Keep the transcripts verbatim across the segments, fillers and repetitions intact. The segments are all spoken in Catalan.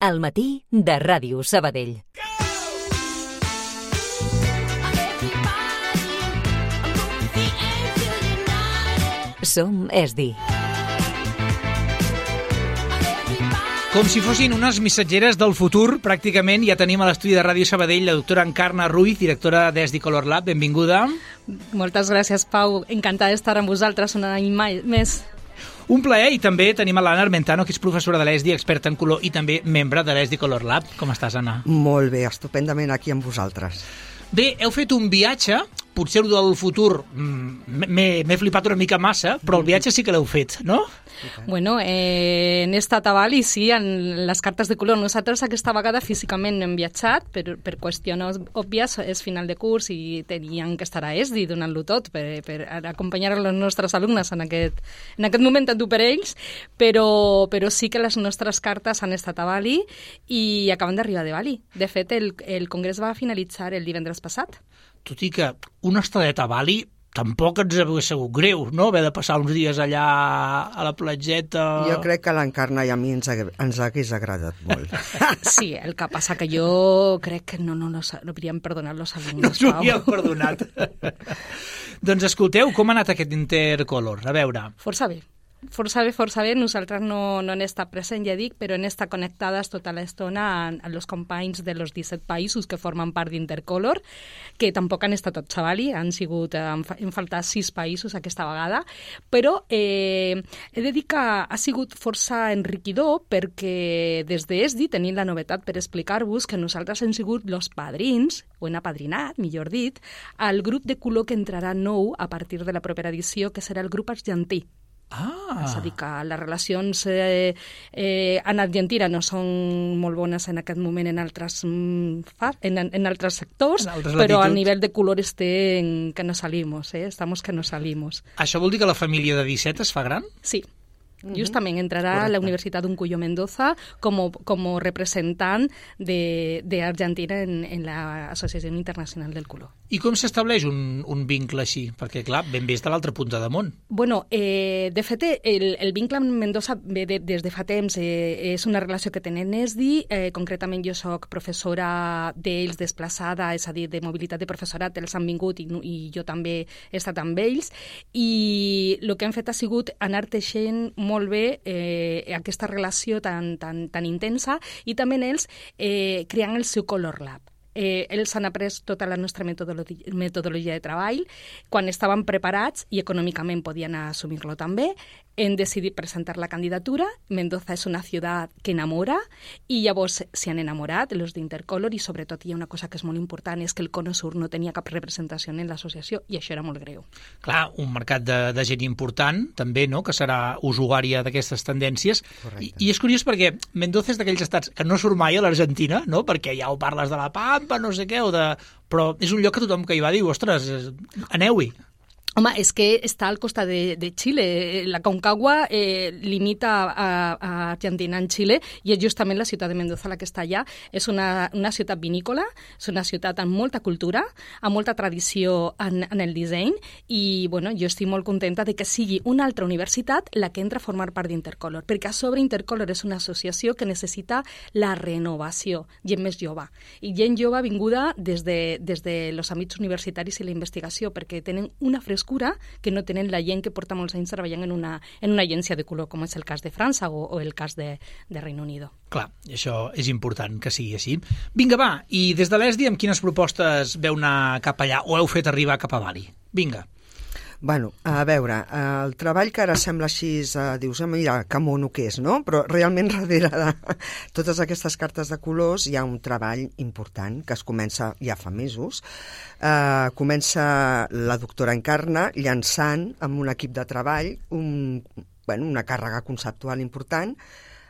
Al matí de Ràdio Sabadell. Som ESDI. Com si fossin unes missatgeres del futur, pràcticament ja tenim a l'estudi de Ràdio Sabadell la doctora Encarna Ruiz, directora d'ESDI Color Lab. Benvinguda. Moltes gràcies, Pau. Encantada d'estar amb vosaltres un any més. Un plaer, i també tenim a l'Anna Armentano, que és professora de l'ESDI, experta en color i també membre de l'ESDI Color Lab. Com estàs, Anna? Molt bé, estupendament aquí amb vosaltres. Bé, heu fet un viatge, potser el del futur m'he flipat una mica massa, però el viatge sí que l'heu fet, no? Bueno, eh, hem estat a Bali, sí, en les cartes de color. Nosaltres aquesta vegada físicament no hem viatjat, per, per qüestions òbvies, és final de curs i teníem que estar a ESDI donant-lo tot per, per acompanyar els nostres alumnes en aquest, en aquest moment tan dur per ells, però, però sí que les nostres cartes han estat a Bali i acaben d'arribar de Bali. De fet, el, el congrés va finalitzar el divendres passat. Tot i que una estadeta a Bali tampoc ens hauria sigut greu, no?, haver de passar uns dies allà a la platgeta. Jo crec que l'Encarna i a mi ens, ens hagués agradat molt. Sí, el que passa que jo crec que no, no, no, no hauríem perdonat los alumnes, Pau. No hauríem perdonat. Doncs escolteu, com ha anat aquest Intercolor? A veure. Força bé. Força bé, força bé. Nosaltres no, no hem estat present, ja dic, però hem estat connectades tota l'estona amb els companys de los disset països que formen part d'Intercolor, que tampoc han estat tots a Bali, han sigut, han faltat sis països aquesta vegada, però eh, he de dir que ha sigut força enriquidor perquè des d'ESDI tenim la novetat per explicar-vos que nosaltres hem sigut los padrins, o hem apadrinat, millor dit, al grup de color que entrarà nou a partir de la propera edició, que serà el grup argentí. Ah. És a dir, que les relacions eh, eh, en Argentina no són molt bones en aquest moment en altres, en, en altres sectors, en altres però a nivell de color estem que no salimos, eh? Estamos que no salimos. Això vol dir que la família de disset es fa gran? Sí. Justament entrarà a la Universitat d'Uncuyo Mendoza com, com representant d'Argentina en, en l'Associació Internacional del Color. I com s'estableix un, un vincle així? Perquè, clar, ben bé és de l'altra punta de món. Bueno, eh, de fet, el, el vincle amb Mendoza ve de, des de fa temps. Eh, és una relació que tenen ESDI. Eh, concretament, jo soc professora d'ells desplaçada, és a dir, de mobilitat de professorat. Ells han vingut i, i jo també he estat amb ells. I el que hem fet ha sigut anar teixent molt bé eh, aquesta relació tan, tan, tan intensa i també ells eh, creant el seu Color Lab. Eh, ells han après tota la nostra metodologia, metodologia de treball. Quan estaven preparats i econòmicament podien assumir-lo també, hem decidit presentar la candidatura. Mendoza és una ciutat que enamora i llavors s'hi han enamorat els d'Intercolor i sobretot hi ha una cosa que és molt important, és que el Cono Sur no tenia cap representació en l'associació i això era molt greu. Clar, un mercat de, de gent important també, no?, que serà usuària d'aquestes tendències. I, I és curiós perquè Mendoza és d'aquells estats que no surt mai a l'Argentina, no?, perquè ja ho parles de la Pampa, no sé què, o de... però és un lloc que tothom que hi va diu, ostres, aneu-hi. Home, és que està al costat de, de Xile. La Concagua eh, limita a, a Argentina en Xile i és justament la ciutat de Mendoza la que està allà. És una, una ciutat vinícola, és una ciutat amb molta cultura, amb molta tradició en, en el disseny i bueno, jo estic molt contenta de que sigui una altra universitat la que entra a formar part d'Intercolor, perquè a sobre Intercolor és una associació que necessita la renovació, gent més jove. I gent jove vinguda des de, des de los àmbits universitaris i la investigació, perquè tenen una frescura que no tenen la gent que porta molts anys treballant en una, en una agència de color, com és el cas de França o, o el cas de, de Reino Unido. Clar, això és important que sigui així. Vinga, va, i des de l'ESDI amb quines propostes veu anar cap allà o heu fet arribar cap a Bali? Vinga. Bueno, a veure, el treball que ara sembla així, eh, dius, mira, que mono que és, no? Però realment darrere de totes aquestes cartes de colors hi ha un treball important que es comença ja fa mesos. Eh, comença la doctora Encarna llançant amb un equip de treball un, bueno, una càrrega conceptual important.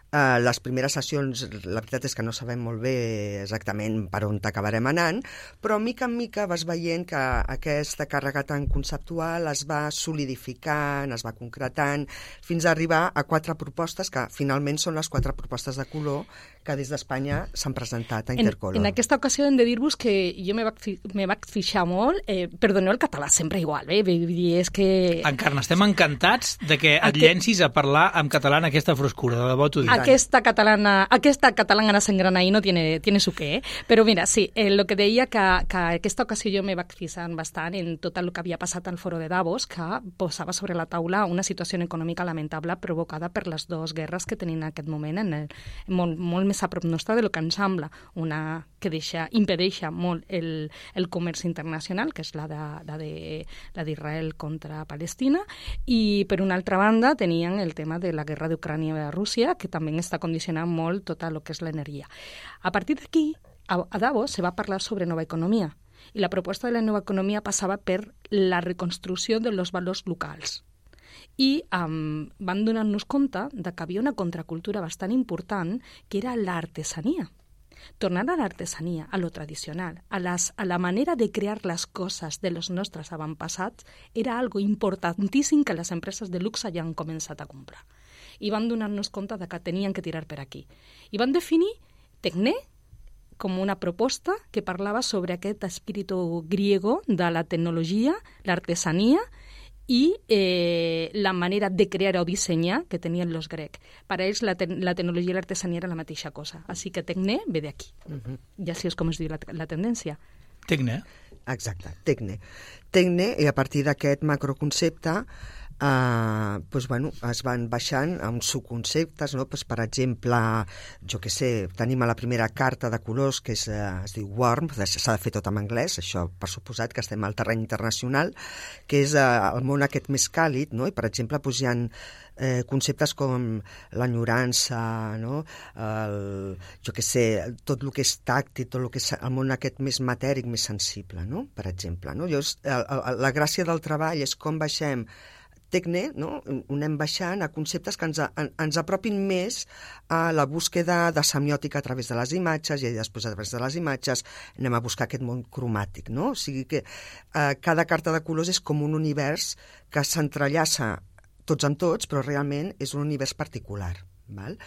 Uh, les primeres sessions, la veritat és que no sabem molt bé exactament per on t'acabarem anant, però mica en mica vas veient que aquesta càrrega tan conceptual es va solidificant, es va concretant, fins a arribar a quatre propostes que finalment són les quatre propostes de color que des d'Espanya s'han presentat a En, Intercolor. en aquesta ocasió hem de dir-vos que jo me vaig, fi- me vaig fixar molt, eh, perdoneu el català sempre igual, eh? Vull dir, és que... Encarna, estem encantats de que et Aquest- llencis a parlar en català en aquesta frescura, de debò t'ho dic. Aquesta catalana, aquesta catalana s'engrana ahí no tiene, tiene su qué, eh? Però mira, sí, eh, lo que deia que, que aquesta ocasió jo me vaig fixar bastant en tot el que havia passat al foro de Davos, que posava sobre la taula una situació econòmica lamentable provocada per les dues guerres que tenim en aquest moment, en el, molt, molt més a prop nostra de lo que ens sembla, una que deixa, impedeixa molt el, el comerç internacional, que és la de, la de, la d'Israel contra Palestina, i per una altra banda tenien el tema de la guerra d'Ucrània i de Rússia, que també està condicionant molt tot el que és l'energia. A partir d'aquí, a, a Davos se va parlar sobre nova economia, i la proposta de la nova economia passava per la reconstrucció de los valors locals. I um, van donar-nos compte de que havia una contracultura bastant important, que era l'artesania. Tornar a l'artesania, a lo tradicional, a, las, a la manera de crear les coses de los nostres avantpassats, era algo importantíssim que les empreses de luxe ja han començat a comprar. I van donar-nos compte de que tenien que tirar per aquí. I van definir Tecné com una proposta que parlava sobre aquest espíritu griego de la tecnologia, l'artesania i eh, la manera de crear o dissenyar que tenien els grecs. Per a ells la, te la tecnologia i l'artesania era la mateixa cosa. Així que Tecné ve d'aquí. Uh-huh. Ja sí és com es diu la, la tendència. Tecne. Exacte, Tecne. Tecne, i a partir d'aquest macroconcepte, Uh, pues, bueno, es van baixant a uns subconceptes, no? Pues, per exemple, jo que sé, tenim a la primera carta de colors que és, uh, es diu Warmth, s'ha de fer tot en anglès, això per suposat que estem al terreny internacional, que és uh, el món aquest més càlid, no? I per exemple pues, hi ha eh, conceptes com l'enyorança, no? el, jo que sé, tot el que és tàctil, tot el que és el món aquest més matèric, més sensible, no? Per exemple. No? Llavors, el, el, la gràcia del treball és com baixem Tecne, no? Ho anem baixant a conceptes que ens, a, ens apropin més a la búsqueda de semiòtica a través de les imatges i després a través de les imatges anem a buscar aquest món cromàtic, no? O sigui que eh, cada carta de colors és com un univers que s'entrellaça tots amb tots, però realment és un univers particular, val?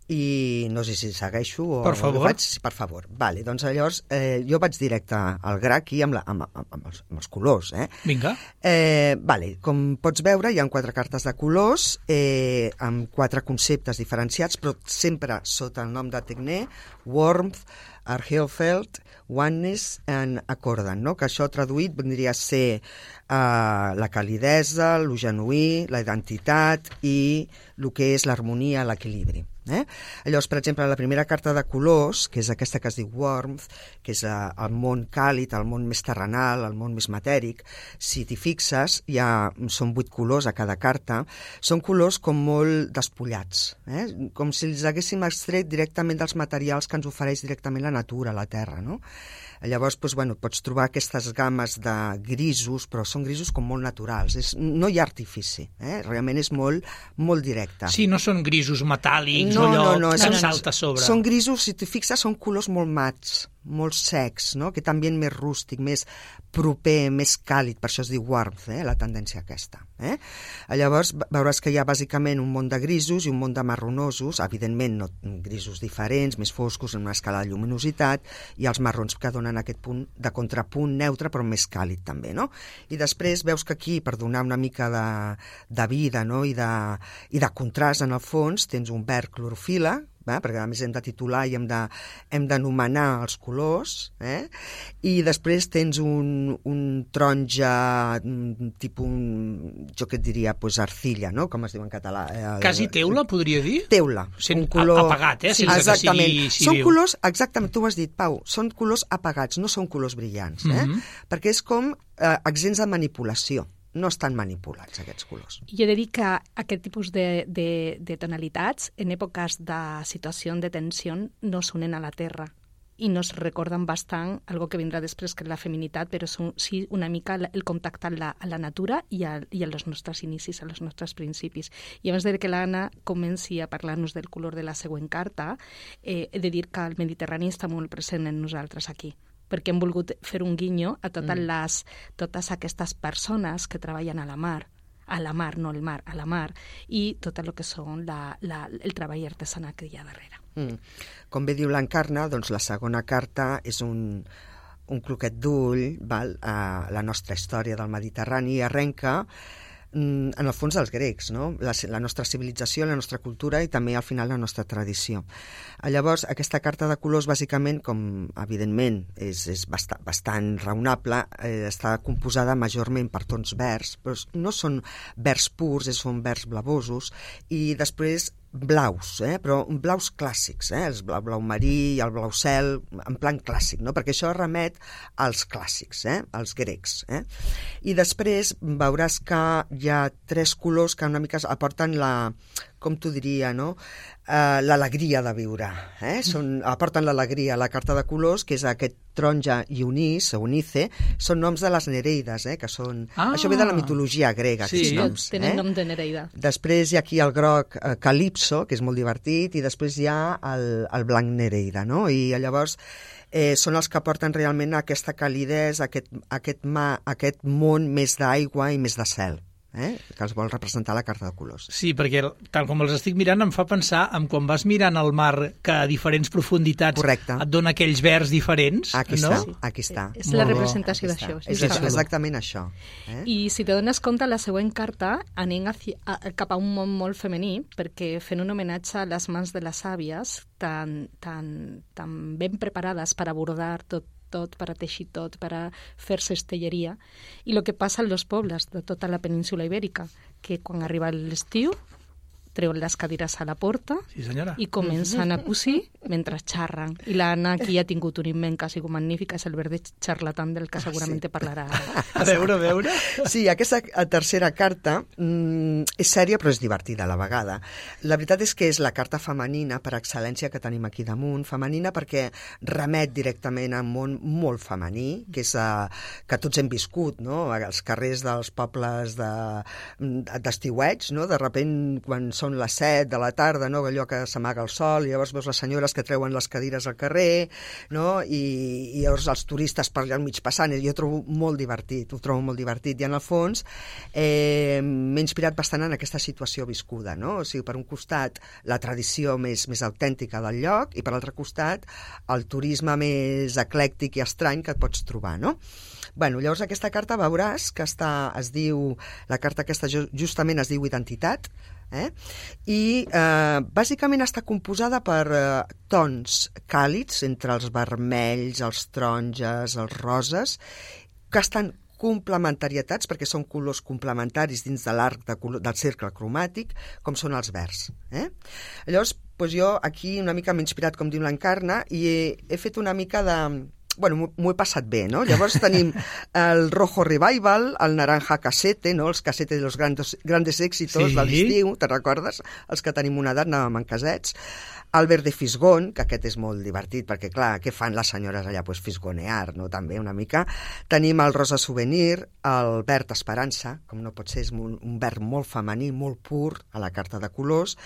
I no sé si segueixo o... Per favor. Faig, per favor. Vale, doncs llavors eh, jo vaig directe al gra aquí amb, la, amb, amb, amb, els, amb els colors. Eh? Vinga. Eh, vale, com pots veure, hi ha quatre cartes de colors eh, amb quatre conceptes diferenciats, però sempre sota el nom de Tecné, Warmth, Arheofeld, Oneness and Accordant, no? Que això traduït vendria a ser uh, la calidesa, lo genuí, la identitat i el que és l'harmonia, l'equilibri. Eh? Llavors, per exemple, la primera carta de colors, que és aquesta que es diu Warmth, que és uh, el món càlid, el món més terrenal, el món més matèric, si t'hi fixes, hi ha, són vuit colors a cada carta, són colors com molt despullats, eh? Com si els haguéssim extret directament dels materials que ens ofereix directament la natura, la terra, no? Llavors, doncs, bueno, pots trobar aquestes gammes de grisos, però són grisos com molt naturals. És, no hi ha artifici, eh? Realment és molt, molt directe. Sí, no són grisos metàl·lics no, o allò no, no, que són, salta a sobre. Són grisos, si t'hi fixes, són colors molt mats, molt secs, no? Aquest ambient més rústic, més proper, més càlid, per això es diu warmth, eh? La tendència aquesta. Eh? Llavors veuràs que hi ha bàsicament un món de grisos i un món de marronosos, evidentment no, grisos diferents, més foscos, en una escala de lluminositat, i els marrons que donen aquest punt de contrapunt neutre però més càlid també, no? I després veus que aquí, per donar una mica de, de vida, no? I, de, i de contrast en el fons, tens un verd clorofila, eh? Perquè a més hem de titular i hem de, hem d'anomenar els colors, eh? I després tens un, un taronja tipus, un, jo què et diria, pues, arcilla, no? Com es diu en català? Eh? Quasi teula, podria dir? Teula. Sent un color... apagat, eh? Sí, sense exactament. que sigui Són civil. colors, exactament, tu ho has dit, Pau, són colors apagats, no són colors brillants, eh? Mhm. Perquè és com eh, exempts de manipulació. No estan manipulats, aquests colors. Jo he de dir que aquest tipus de, de, de tonalitats, en èpoques de situació de tensió, no s'unen a la terra i nos recorden bastant algo que vindrà després, que és la feminitat, però són, sí una mica el contacte amb la, a la natura i a, i a els nostres inicis, a els nostres principis. I abans de que l'Anna comenci a parlar-nos del color de la següent carta, eh, he de dir que el Mediterrani està molt present en nosaltres aquí, perquè hem volgut fer un guinyo a totes, mm. les, totes aquestes persones que treballen a la mar, a la mar, no el mar, a la mar, i tot el que són la, la, el treball artesanal que hi ha darrere. Mm. Com bé diu l'Encarna, doncs la segona carta és un, un croquet d'ull, val, a la nostra història del Mediterrani, i arrenca en el fons dels grecs, no? La, la nostra civilització, la nostra cultura i també al final la nostra tradició. Llavors, aquesta carta de colors, bàsicament, com evidentment és, és bastant, bastant raonable, eh, està composada majorment per tons verds, però no són verds purs, són verds blavosos, i després blaus, eh? Però blaus clàssics, eh? El blau, blau marí i el blau cel, en plan clàssic, no? Perquè això remet als clàssics, eh? Als grecs. Eh? I després veuràs que hi ha tres colors que una mica aporten la, com t'ho diria, no? Uh, l'alegria de viure. Eh? Són, aporten l'alegria a la carta de colors, que és aquest taronja i unís, o unice, són noms de les Nereides, eh? Que són... Ah, això ve de la mitologia grega, sí, aquests noms. Tenen eh? nom de Nereida. Després hi ha aquí el groc eh, Calipso, que és molt divertit, i després hi ha el, el blanc Nereida, no? I llavors eh, són els que porten realment aquesta calidesa, aquest, aquest, ma, aquest món més d'aigua i més de cel. Eh? Que els vol representar la carta de colors. Sí, perquè tal com els estic mirant em fa pensar en quan vas mirant el mar que a diferents profunditats Correcte. Et dona aquells verds diferents. Aquí no? està, sí. Aquí està. És Molt la bo. representació Aquí d'això. està. És, això, exactament això. Eh? I si te dones compte, la següent carta anem hacia, a, cap a un món molt femení, perquè fent un homenatge a les mans de les àvies tan, tan, tan ben preparades per abordar tot tot, per a teixir tot, per a fer cestelleria. I el que passa als pobles de tota la península ibèrica, que quan arriba l'estiu treuen les cadires a la porta Sí, senyora. i comencen a cosir mentre xarren. I l'Anna aquí ha tingut un invent que ha sigut magnífic, és el verd xarlatan del que segurament te parlarà. A veure, a veure. Sí, aquesta tercera carta mm, és sèria però és divertida a la vegada. La veritat és que és la carta femenina per excel·lència que tenim aquí damunt, femenina perquè remet directament a un món molt femení, que és uh, que tots hem viscut, no? Els carrers dels pobles de, d'estiueig, no? De repent, quan són les set de la tarda, no? Allò que s'amaga el sol, i llavors veus les senyores que treuen les cadires al carrer, no? I, i llavors els turistes per allà al mig passant, i jo ho trobo molt divertit, ho trobo molt divertit, i en el fons eh, m'he inspirat bastant en aquesta situació viscuda, no? O sigui, per un costat la tradició més, més autèntica del lloc, i per l'altre costat el turisme més eclèctic i estrany que et pots trobar, no? Bueno, llavors aquesta carta veuràs que està, es diu, la carta aquesta justament es diu Identitat, eh? I eh, bàsicament està composada per eh, tons càlids entre els vermells, els taronges, els roses, que estan complementarietats, perquè són colors complementaris dins de l'arc de color, del cercle cromàtic, com són els verds. Eh? Llavors, doncs jo aquí una mica m'he inspirat, com diu l'Encarna, i he, he fet una mica de... Bueno, m'ho he passat bé, no? Llavors tenim el rojo revival, el naranja casete, no? Els casete de los grandes, grandes éxitos sí. de l'estiu, te'n recordes? Els que tenim una edat anàvem en casets. El verde fisgón, que aquest és molt divertit, perquè, clar, què fan les senyores allà? Pues fisgonear, no? També, una mica. Tenim el rosa souvenir, el verd esperança, com no pot ser, és un, un verd molt femení, molt pur, a la carta de colors.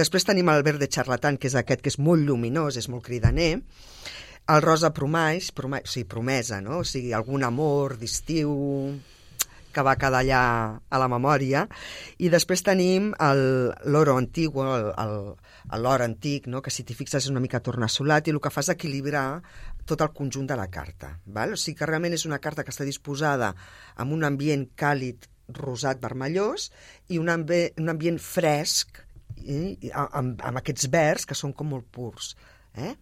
Després tenim el verde charlatan, que és aquest que és molt lluminós, és molt cridaner. El rosa promès, promès, o sigui, promesa, no? O sigui, algun amor d'estiu que va quedar allà a la memòria. I després tenim l'oro antigo, l'or antic, no? Que si t'hi fixes és una mica tornassolat, i el que fa és equilibrar tot el conjunt de la carta. Val? O sigui que realment és una carta que està disposada amb un ambient càlid, rosat, vermellós, i un, ambi un ambient fresc, eh? amb, amb aquests verds que són com molt purs. Eh?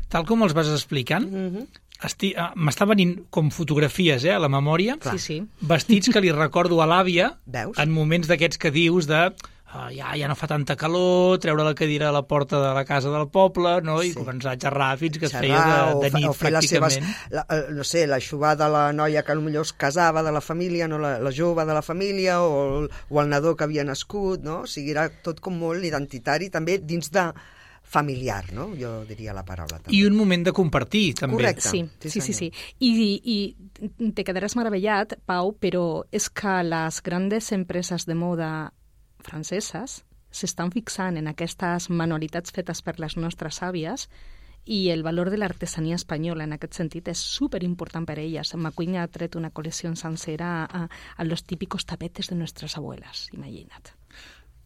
Tal com els vas explicant, Mm-hmm. m'està venint com fotografies eh, a la memòria, Sí, sí. vestits que li recordo a l'àvia Veus? en moments d'aquests que dius de uh, ja, ja no fa tanta calor, treure la cadira a la porta de la casa del poble, no? I Sí. començar a xerrar fins que es Xerrar, feia de, de o, nit, o fer les seves, pràcticament. la, eh, no sé, l'aixuvar de la noia que potser es casava de la família, no la, la jove de la família, o el, o el nadó que havia nascut, no? O sigui, era tot com molt identitari, també dins de familiar, no? Jo diria la paraula. També. I un moment de compartir, també. Correcte. Sí, Sí, sí, sí, sí. senyor. I, I te quedaràs meravellat, Pau, però és que les grandes empreses de moda franceses s'estan fixant en aquestes manualitats fetes per les nostres àvies, i el valor de l'artesania espanyola en aquest sentit és superimportant per a elles. McQueen ha tret una col·lecció sencera a, a los típicos tapetes de nuestras abuelas, imagina't.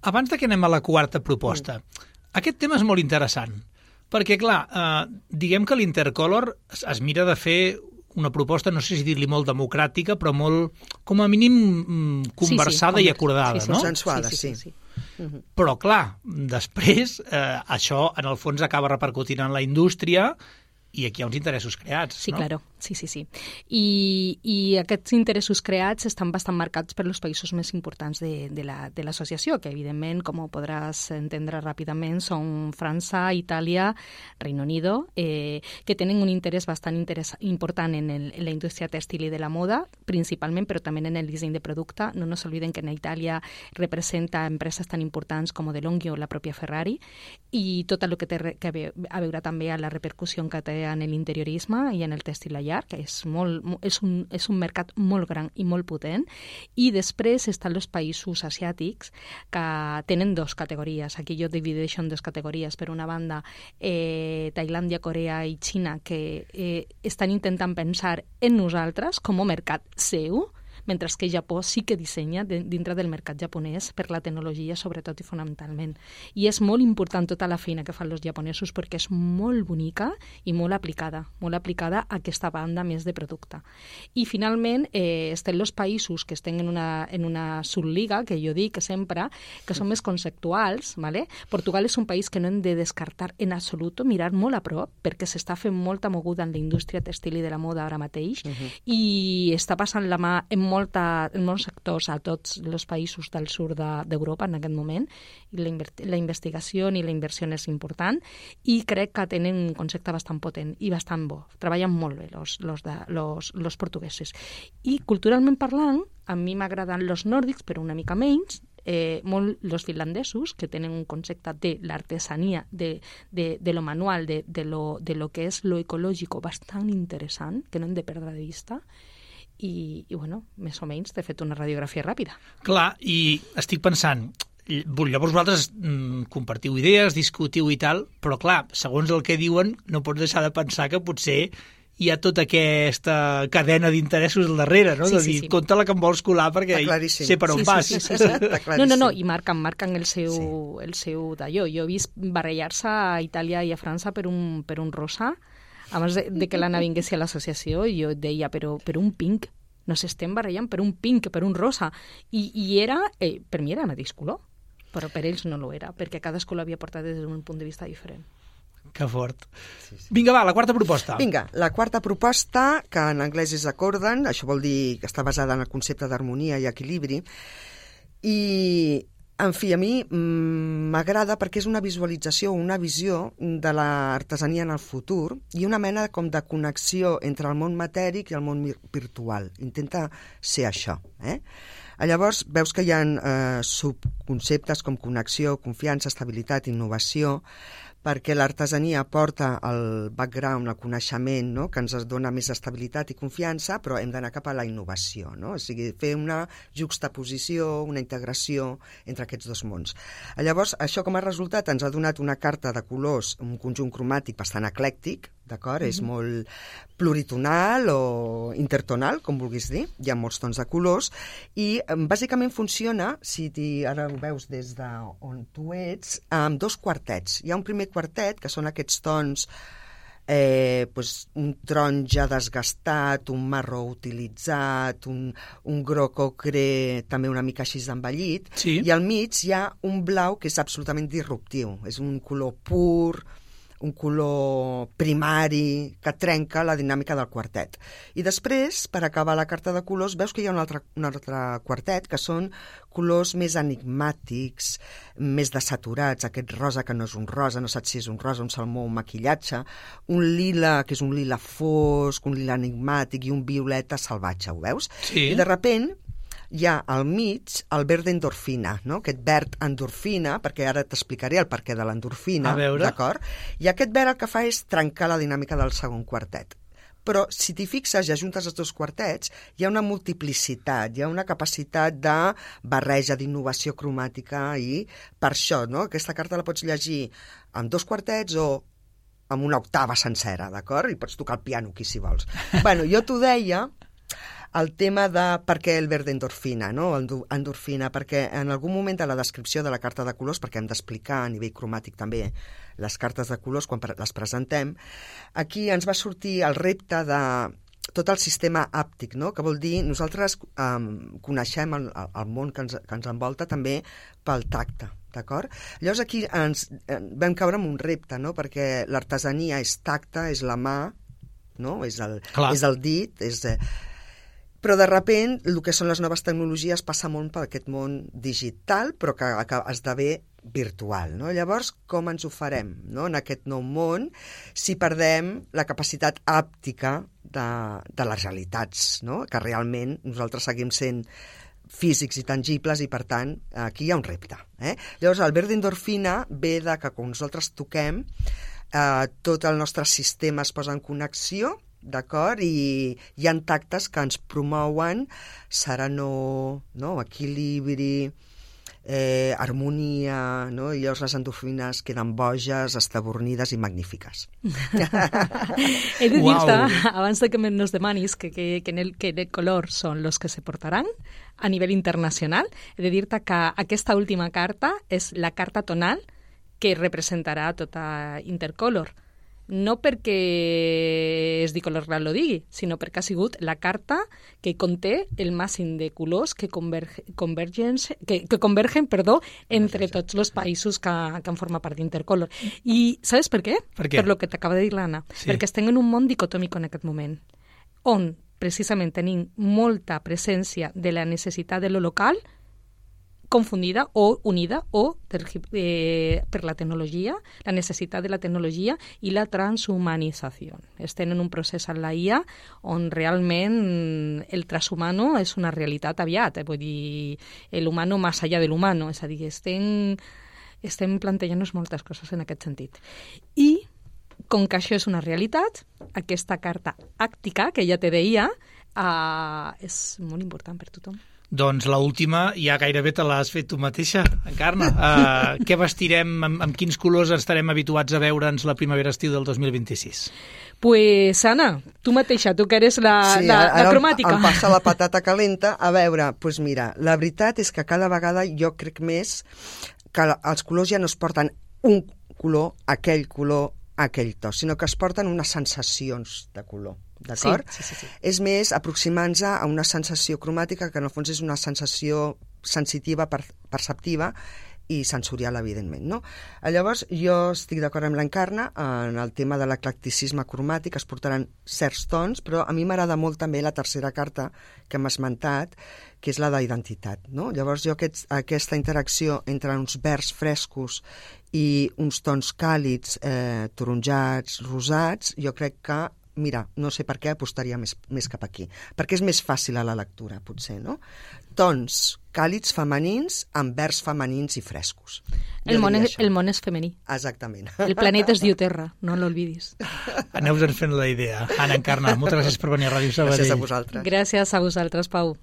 Abans de que anem a la quarta proposta, mm. aquest tema és molt interessant, Perquè, clar, eh, diguem que l'Intercolor es, es mira de fer una proposta, no sé si dir-li molt democràtica, però molt, com a mínim, conversada sí, sí, i acordada, sí, sí, no? Consensuada, sí. sí, sí. sí. Uh-huh. Però, clar, després eh, això, en el fons, acaba repercutint en la indústria i aquí hi ha uns interessos creats, sí, no? Sí, claro. Sí, sí, sí. I, i aquests interessos creats estan bastant marcats per els països més importants de, de l'associació, la, que evidentment, com ho podràs entendre ràpidament, són França, Itàlia, Reino Unido, eh, que tenen un interès bastant interès, important en, el, en la indústria tèxtil i de la moda, principalment, però també en el disseny de producte. No nos olviden que en Itàlia representa empreses tan importants com DeLonghi o la pròpia Ferrari, i tot el que té que a veure també a la repercussió que té en l'interiorisme i en el tèxtil a llarg, que és, molt, és, un, és un mercat molt gran i molt potent. I després estan els països asiàtics, que tenen dues categories. Aquí jo divideixo en dues categories. Per una banda, eh, Tailàndia, Corea i Xina, que eh, estan intentant pensar en nosaltres com a mercat seu, mentre que Japó sí que dissenya dintre del mercat japonès per la tecnologia, sobretot i fonamentalment. I és molt important tota la feina que fan els japonesos perquè és molt bonica i molt aplicada, molt aplicada a aquesta banda més de producte. I finalment eh, estan els països que estan en una, en una subliga, que jo dic sempre, que són més conceptuals, ¿vale? Portugal és un país que no hem de descartar en absolut, mirar molt a prop, perquè s'està fent molta moguda en la indústria tèxtil i de la moda ara mateix, uh-huh. i està passant la mà en molt Molta, en molts sectors a tots els països del sud d'Europa de, en aquest moment, i la, la investigació i la inversió és important, i crec que tenen un concepte bastant potent i bastant bo. Treballen molt bé los, los, de, los, los portuguesos. I culturalment parlant, a mi m'agraden els nòrdics, però una mica menys, eh, molt els finlandesos, que tenen un concepte de l'artesania, de, de, de lo manual, de, de, lo, de lo que és lo ecològic bastant interessant, que no hem de perdre de vista. I, i bueno, més o menys t'he fet una radiografia ràpida. Clar, i estic pensant, llavors vosaltres mm, compartiu idees, discutiu i tal, però clar, segons el que diuen, no pots deixar de pensar que potser hi ha tota aquesta cadena d'interessos al darrere, no? Sí, de dir, sí, sí. Compte-la que em vols colar perquè sé per on sí, vas. Sí, sí, sí, sí. No, no, no, i marquen, marquen el seu, sí. el seu d'allò. Jo he vist barallar-se a Itàlia i a França per un, per un rosa, abans de, de que l'Anna vinguessi a l'associació, i jo deia, però per un pink, no s'estem barallant per un pink, per un rosa. I, i era, eh, per mi era el mateix color, però per ells no lo era, perquè cadascú l'havia portat des d'un punt de vista diferent. Que fort. Sí, sí. Vinga, va, la quarta proposta. Vinga, la quarta proposta, que en anglès és accordant, això vol dir que està basada en el concepte d'harmonia i equilibri, i en fi, a mi m'agrada perquè és una visualització, una visió de l'artesania en el futur i una mena com de connexió entre el món matèric i el món virtual. Intenta ser això. Eh? Llavors, veus que hi ha eh, subconceptes com connexió, confiança, estabilitat, innovació, perquè l'artesania porta el background, el coneixement, no? Que ens dona més estabilitat i confiança, però hem d'anar cap a la innovació, no? O sigui, fer una juxtaposició, una integració entre aquests dos mons. Llavors, això com a resultat ens ha donat una carta de colors, un conjunt cromàtic bastant eclèctic, d'acord? Mm-hmm. És molt pluritonal o intertonal, com vulguis dir, hi ha molts tons de colors, i bàsicament funciona, si ara ho veus des d'on tu ets, amb dos quartets. Hi ha un primer quartet, que són aquests tons, eh, pues, un taronja desgastat, un marró utilitzat, un, un groc ocre també una mica així envellit, sí. I al mig hi ha un blau que és absolutament disruptiu, és un color pur, un color primari que trenca la dinàmica del quartet. I després, per acabar la carta de colors, veus que hi ha un altre, un altre quartet que són colors més enigmàtics, més desaturats, aquest rosa que no és un rosa, no saps si és un rosa, un salmó, un maquillatge, un lila que és un lila fosc, un lila enigmàtic i un violeta salvatge, ho veus? Sí. I de repent hi ha al mig el verd endorfina, no? Aquest verd endorfina, perquè ara t'explicaré el perquè de l'endorfina, d'acord? I aquest verd el que fa és trencar la dinàmica del segon quartet. Però si t'hi fixes i ajuntes els dos quartets, hi ha una multiplicitat, hi ha una capacitat de barreja, d'innovació cromàtica, i per això, no? Aquesta carta la pots llegir amb dos quartets o amb una octava sencera, d'acord? I pots tocar el piano aquí, si vols. Bueno, jo t'ho deia el tema de per què el verd endorfina, no? Endorfina, perquè en algun moment de la descripció de la carta de colors, perquè hem d'explicar a nivell cromàtic també les cartes de colors quan les presentem, aquí ens va sortir el repte de tot el sistema àptic, no? Que vol dir nosaltres um, coneixem el, el món que ens, que ens envolta també pel tacte, d'acord? Llavors aquí ens vam caure en un repte, no? Perquè l'artesania és tacte, és la mà, no? És el, és el dit, és... Però de repent el que són les noves tecnologies passa molt per aquest món digital, però que, que esdevé virtual, no? Llavors, com ens ho farem, no? En aquest nou món, si perdem la capacitat àptica de, de les realitats, no? Que realment nosaltres seguim sent físics i tangibles i, per tant, aquí hi ha un repte. Eh? Llavors, el verd endorfina ve de que quan nosaltres toquem, eh, tot el nostre sistema es posa en connexió, d'acord? I hi ha tactes que ens promouen serenor, no? Equilibri, eh, harmonia, no? I llavors les endorfines queden boges, estabornides i magnífiques. He de dir-te, abans de que nos demanis que, que, que, en el, que el color són los que se portaran a nivell internacional, he de dir-te que aquesta última carta és la carta tonal que representarà tota Intercolor. No perquè es di Color Real lo digui, sinó perquè ha sigut la carta que conté el màxim de colors que, converge, convergen, que, que convergen perdó, entre tots els països que, que han format part d'Intercolor. I saps per què? Per què? Per lo que t'acaba de dir l'Anna. Sí. Perquè estem en un món dicotòmic en aquest moment, on precisament tenim molta presència de la necessitat de lo local confundida o unida o eh, per la tecnologia, la necessitat de la tecnologia i la transhumanització. Estem en un procés en la I A on realment el transhumano és una realitat aviat, eh? Vull dir, l'humano més allà de l'humano, és a dir, estem, estem plantejant-nos moltes coses en aquest sentit. I, com que això és una realitat, aquesta carta àctica, que ja te deia, eh, és molt important per tothom. Doncs l'última ja gairebé te l'has fet tu mateixa, Encarna. Uh, què vestirem, amb, amb quins colors estarem habituats a veure'ns la primavera-estiu del dos mil vint-i-sis? Pues, Anna, tu mateixa, tu que eres la, sí, la, la ara cromàtica. Em passa la patata calenta. A veure, doncs mira, la veritat és que cada vegada jo crec més que els colors ja no es porten un color, aquell color, aquell to, sinó que es porten unes sensacions de color. D'acord? Sí, sí, sí, sí. És més aproximant-se a una sensació cromàtica que en el fons és una sensació sensitiva, per, perceptiva i sensorial, evidentment, no? Llavors, jo estic d'acord amb l'Encarna en el tema de l'eclecticisme cromàtic, es portaran certs tons, però a mi m'agrada molt també la tercera carta que hem esmentat, que és la d'identitat, no? Llavors, jo aquest, aquesta interacció entre uns verds frescos i uns tons càlids, eh, taronjats, rosats, jo crec que mira, no sé per què apostaria més, més cap aquí, perquè és més fàcil a la lectura, potser, no? Tons càlids femenins amb verds femenins i frescos. El món, és, el món és femení. Exactament. El planeta es diu Terra, no l'olvidis. Aneu-vos fent la idea. Anna, Encarna, moltes gràcies per venir a Ràdio Sabadell. Gràcies a vosaltres. Gràcies a vosaltres, Pau.